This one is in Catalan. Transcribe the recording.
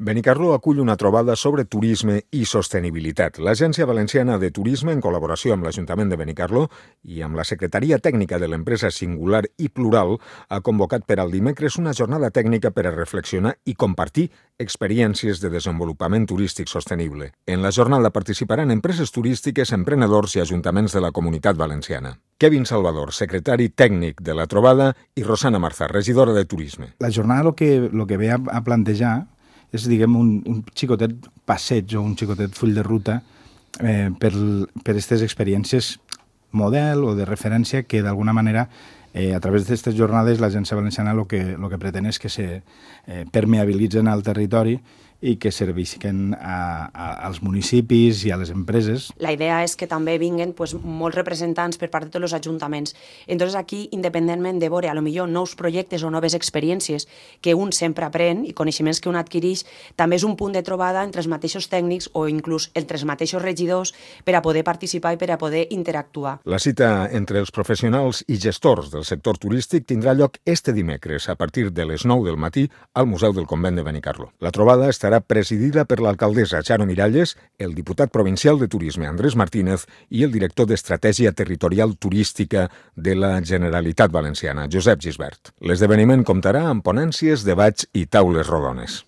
Benicarló acull una trobada sobre turisme i sostenibilitat. L'Agència Valenciana de Turisme, en col·laboració amb l'Ajuntament de Benicarló i amb la Secretaria Tècnica de l'empresa Singular i Plural, ha convocat per al dimecres una jornada tècnica per a reflexionar i compartir experiències de desenvolupament turístic sostenible. En la jornada participaran empreses turístiques, emprenedors i ajuntaments de la Comunitat Valenciana. Kevin Salvador, secretari tècnic de la trobada, i Rosana Marzà, regidora de Turisme. La jornada lo que ve a plantejar és, diguem, un xicotet passeig o un xicotet full de ruta per aquestes experiències model o de referència que d'alguna manera a través d'aquestes jornades l'Agència Valenciana el que pretén és que se permeabilitzen al territori i que servisquen als municipis i a les empreses. La idea és que també vinguen molts representants per part de tots els ajuntaments. Entonces aquí, independentment de veure potser nous projectes o noves experiències que un sempre aprèn i coneixements que un adquireix, també és un punt de trobada entre els mateixos tècnics o inclús entre els mateixos regidors per a poder participar i per a poder interactuar. La cita entre els professionals i gestors del sector turístic tindrà lloc este dimecres a partir de les 9 del matí al Museu del Convent de Benicarló. La trobada estarà presidida per l'alcaldessa Charo Miralles, el diputat provincial de Turisme Andrés Martínez i el director d'Estratègia Territorial Turística de la Generalitat Valenciana, Josep Gisbert. L'esdeveniment comptarà amb ponències, debats i taules rodones.